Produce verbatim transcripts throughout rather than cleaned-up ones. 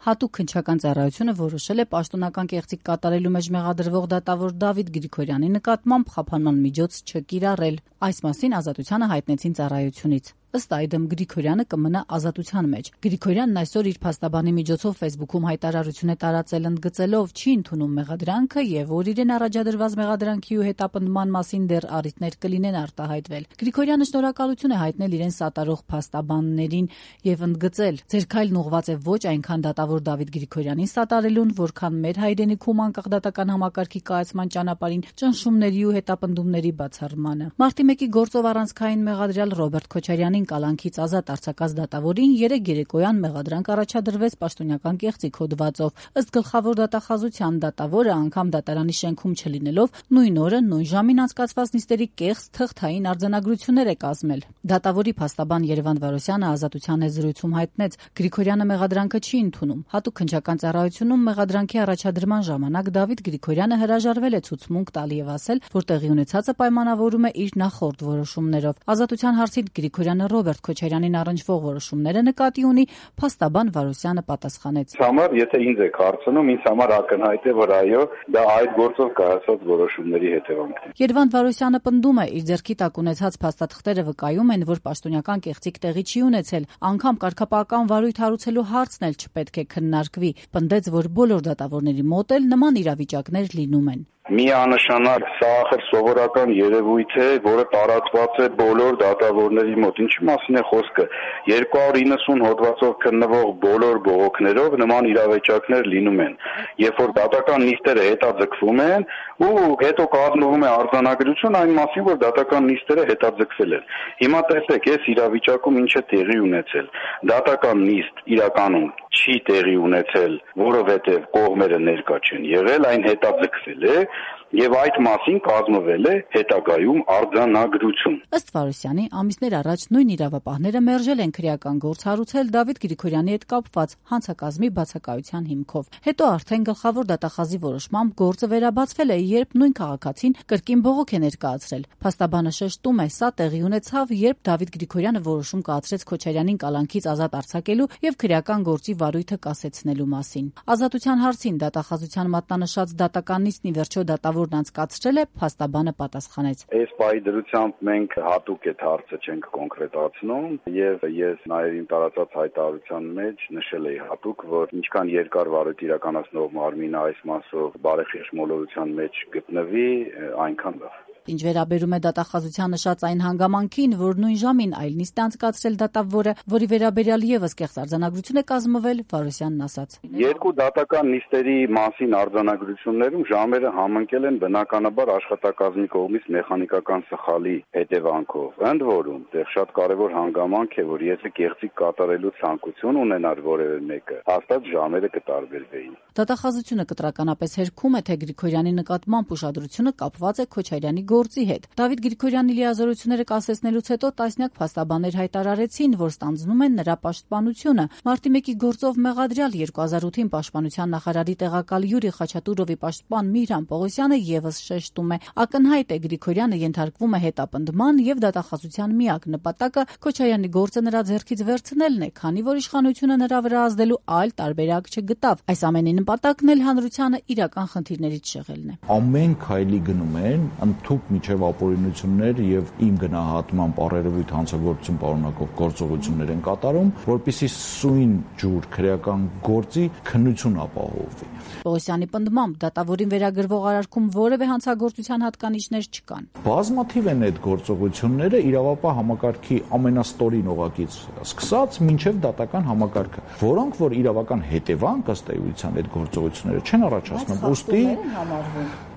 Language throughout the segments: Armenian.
Հատուկ քննչական ծառայությունը որոշել է պաշտոնական կեղծիք կատարելու մեջ մեղադրվող դատավոր Դավիթ Գրիգորյանի նկատմամբ խափանման միջոց չկիրառել։ Այս մասին Ազատությանը հայտնեցին ծառայությունից։ Ըստ այդմ Գրիգորյանը կմնա ազատության մեջ։ Գրիգորյանն այսօր իր փաստաբանի միջոցով Facebook-ում հայտարարություն է տարածել ընդգծելով չի ընդունում մեղադրանքը եւ որ իրեն առաջադրված մեղադրանքի ու հետապնդման մասին դեռ առիթներ կլինեն արտահայտվել։ Գրիգորյանը շնորհակալություն է հայտնել իրեն սատարող փաստաբաններին եւ ընդգծել. «Ձեր քայլն ուղղված է ոչ այնքան դատավոր Դավիթ Գրիգորյանին սատարելուն, որքան մեր հայրենիքում անկախ դատական համակարգի կայացման ճանապարհին ճնշումների ու հետապնդումների բացառմանը»։ Մարտի մեկի գործով առանցքային մեղադրյալ Ռոբերտ Քոչարյանին կալանքից ազատ արձակած դատավորին երեկ երեկոյան մեղադրանք առաջադրվեց պաշտոնական կեղծիք հոդվածով։ Ըստ գլխավոր դատախազության դատավորը անգամ դատարանի շենքում չլինելով նույն օրը նույն ժամին անցկացված նիստերի կեղծ թղթային արձանագրություններ է կազմել։ Դատավորի փաստաբան Երևան Վարոսյանը Ազատության հետ զրույցում հայտնեց. Գրիգորյանը մեղադրանքը չի ընդունում։ Հատուկ քննչական ծառայությունում մեղադրանքի առաջադրման ժամանակ Դավիթ Գրիգորյանը հրաժարվել է ցուցմունք տալ եւ ասել, որ տեղի ունեցածը պայմանավորում է իր նախորդ որոշումներով։ Ազատության հարցին Գրիգորյանը Ռոբերտ Քոչարյանին առնչվող որոշումները նկատի ունի, փաստաբան Վարոսյանը պատասխանեց. Համար, եթե ինձ եք հարցնում, ինձ համար ակնհայտ է, որ այո, դա այդ գործով կայացած որոշումների հետևանքն է։ Երևան Վարոսյանը պնդում է, իր ձեռքի տակ ունեցած փաստաթղթերը վկայում են, որ պաշտոնական կեղծիք տեղի չի ունեցել, անգամ կարգապահական վարույթ հարուցելու հարցն էլ չպետք է քննարկվի։ Պնդեց, որ բոլոր դատավորների մոտ էլ նման իրավիճակներ լինում են։ Միանշանակ սա ախր սովորական երևույթ է, որը տարածված է բոլոր դատավորների մոտ։ Ինչի մասին է խոսքը։ երկու հարյուր իննսուն հոդվածով քննվող բոլոր բողոքներով նման իրավիճակներ լինում են։ Երբ որ դատական նիստերը հետաձգվում են ու հետո կազմվում է արձանագրություն այն մասին, որ դատական նիստերը հետաձգվել են։ Հիմա տեսեք, այս իրավիճակում ինչ է տեղի ունեցել։ Դատական նիստ իրականում չի տեղի ունեցել, որովհետև կողմերը ներկա չեն եղել, այն հետաձգվել է եւ այդ մասին կազմվել է հետագայում արձանագրություն։ Ըստ Վարոսյանի, ամիսներ առաջ նույն իրավապահները մերժել են քրեական գործ հարուցել Դավիթ Գրիգորյանի հետ կապված հանցակազմի բացակայության հիմքով։ Հետո արդեն գլխավոր դատախազի որոշմամբ գործը վերաբացվել է, երբ նույն քաղաքացին կրկին բողոք է ներկայացրել։ Փաստաբանը շեշտում է, սա տեղի ունեցավ, երբ Դավիթ Գրիգորյանը որոշում կայացրեց Քոչարյանին կալանքից ազատ արձակելու եւ քրեական գործի վարույթը կասեցնելու մասին։ Ազատության հարցին դատախազության մատնանշած դատական նիստն ի վերջո դատավոր անցկացրել է, փաստաբանը պատասխանեց. Այս պահի դրությամբ մենք հատուկ այդ հարցը չենք կոնկրետացնում եւ ես նաեւ իմ տարածած հայտարարության մեջ նշել էի հատուկ, որ ինչքան երկար վարույթ իրականացնող մարմինը այս մասով բարեխիղճ մոլորության մեջ գտնվի, այնքան լավ։ Ինչ վերաբերում է դատախազության նշած այն հանգամանքին, որ նույն ժամին այլ նիստ է անցկացրել դատավորը, որի վերաբերյալ եւս կեղծ արձանագրություն է կազմվել, Վարոսյանն ասաց. Երկու դատական նիստերի մասին արձանագրություններում ժամերը համընկել են բնականաբար աշխատակազմի կողմից մեխանիկական սխալի հետևանքով։ Ընդ որում, դեռ շատ կարևոր հանգամանք է, որ եթե կեղծիք կատարելու ցանկություն ունենար որևէ մեկը, հաստատ ժամերը կտարբերվեին։ Դատախազությունը կտրականապես հերքում է, թե Գրիգորյանի նկատմամբ ուշադրությունը կապված է Քոչարյանի գործի հետ։ Դավիթ Գրիգորյանի լիազորությունները կասեցնելուց հետո տասնյակ փաստաբաններ հայտարարեցին, որ ստանձնում են նրա պաշտպանությունը։ Մարտի մեկի գործով մեղադրյալ երկու հազար ութին պաշտպանության նախարարի տեղակալ Յուրի Խաչատուրովի պաշտպան Միհրան Պողոսյանը եւս շեշտում է. ակնհայտ է Գրիգորյանը ենթարկվում է հետապնդման եւ դատախազության միակ նպատակը Քոչարյանի գործը նրա ձեռքից վերցնելն է, քանի որ իշխանությունը նրա վրա ազդելու այլ տարբերակ չգտավ։ Այս ամենի նպատակն էլ հանրությանը իրական խնդիրներից շեղելն է։ Ամեն քայլի գնում են ընդཐུպ միջև ապօրինություններ եւ իմ գնահատմամբ առերևույթ հանցագործություն պարունակող գործողություններ են կատարում, որպեսզի սույն ջուր քրեական գործի քննություն ապահովվի։ Պողոսյանի պնդմամբ դատավորին վերագրվող արարքում որևէ հանցագործության հատկանիշներ չկան։ Բազմաթիվ են այդ գործողությունները իրավապահ համակարգի ամենաստորին օղակից սկսած մինչև դատական համակարգը, որոնք որ իրավական հետևանք ըստ էության այդ գործողությունները չեն առաջացնում, ուստի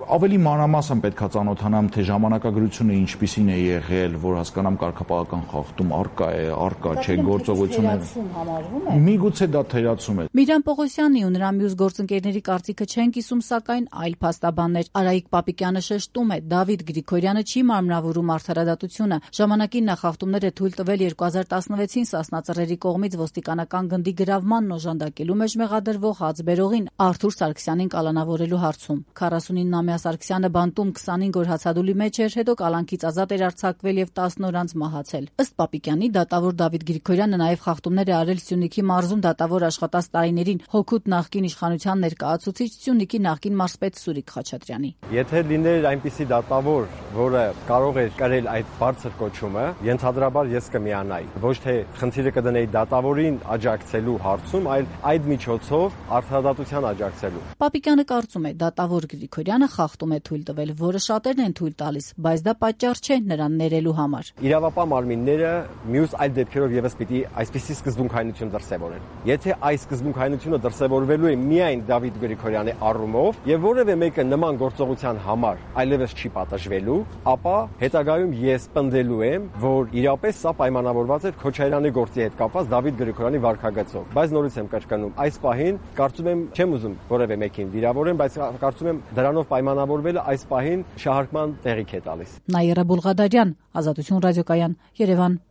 ավելի մանրամասն պետքա ծանոթանամ, թե ժամանակագրությունը ինչպիսին է եղել, որ հասկանամ կարգապահական խախտում արկա է, արկա չէ, գործողությունները։ Միգուցե դա թերացում է։ Միհրան Պողոսյանի ու նրա մյուս գործընկերների կարծիքը չեն կիսում, սակայն այլ փաստաբաններ։ Արայիկ Պապիկյանը շեշտում է, Դավիթ Գրիգորյանը չի մարմնավորում արդարադատությունը։ Ժամանակին նա խախտումներ է թույլ տվել երկու հազար տասնվեցին Սասնա ծռերի կողմից ոստիկանական գնդի գրավմանն օժանդակելու մեջ մեղադրվող հաց բերողին Արթուր Սարգսյանին կալանավորելու հարցում։ քառասունիննամյա Սամյա Սարգսյանը բանտում քսանհինգ օր հացադուլի մեջ էր, հետո կալանքից ազատ էր արձակվել եւ տասն օր անց մահացել։ Ըստ Պապիկյանի, դատավոր Դավիթ Գրիգորյանը նաեւ խախտումներ է արել Սյունիքի մարզում դատավոր աշխատած տարիներին հօգուտ նախկին իշխանության ներկայացուցիչ Սյունիքի նախկին մարզպետ Սուրիկ Խաչատրյանի։ Եթե լիներ այնպիսի դատավոր, որը կարող էր կրել այդ բարձր կոչումը, ենթադրաբար ես կմիանայի։ Ոչ թե խնդիրը կդնեի դատավորին աջակցելու հարցում, այլ այդ միջոցով արդարադատության աջակցելու։ Պապիկյանը կարծում է, դատավոր Գրիգորյանը խախտում է թույլ տվել, որը շատերն են թույլ տալիս, բայց դա պատճառ չէ նրան ներելու համար։ Իրավապահ մարմինները մյուս այլ դեպքերով եւս պիտի այսպիսի սկզբունքայնություն դրսևորեն։ Եթե այս սկզբունքայնությունը դրսևորվելու է միայն Դավիթ Գրիգորյանի առումով եւ որևէ մեկը նման գործողության համար այլևս չի պատժվելու, ապա հետագայում ես պնդելու եմ, որ իրապես սա պայմանավորված է Քոչարյանի գործի հետ կապված Դավիթ Գրիգորյանի վարքագծով։ Բայց նորից եմ կրկնում, այս պահին կարծում եմ չեմ ուզում որևէ մեկին վիրավորեմ, բայց կարծում եմ դրանով պայմանավորվելը այս պահին շահարկման տեղիք է տալիս։ Նաիրա Բուլղադարյան, Ազատություն ռադիոկայան, Երևան։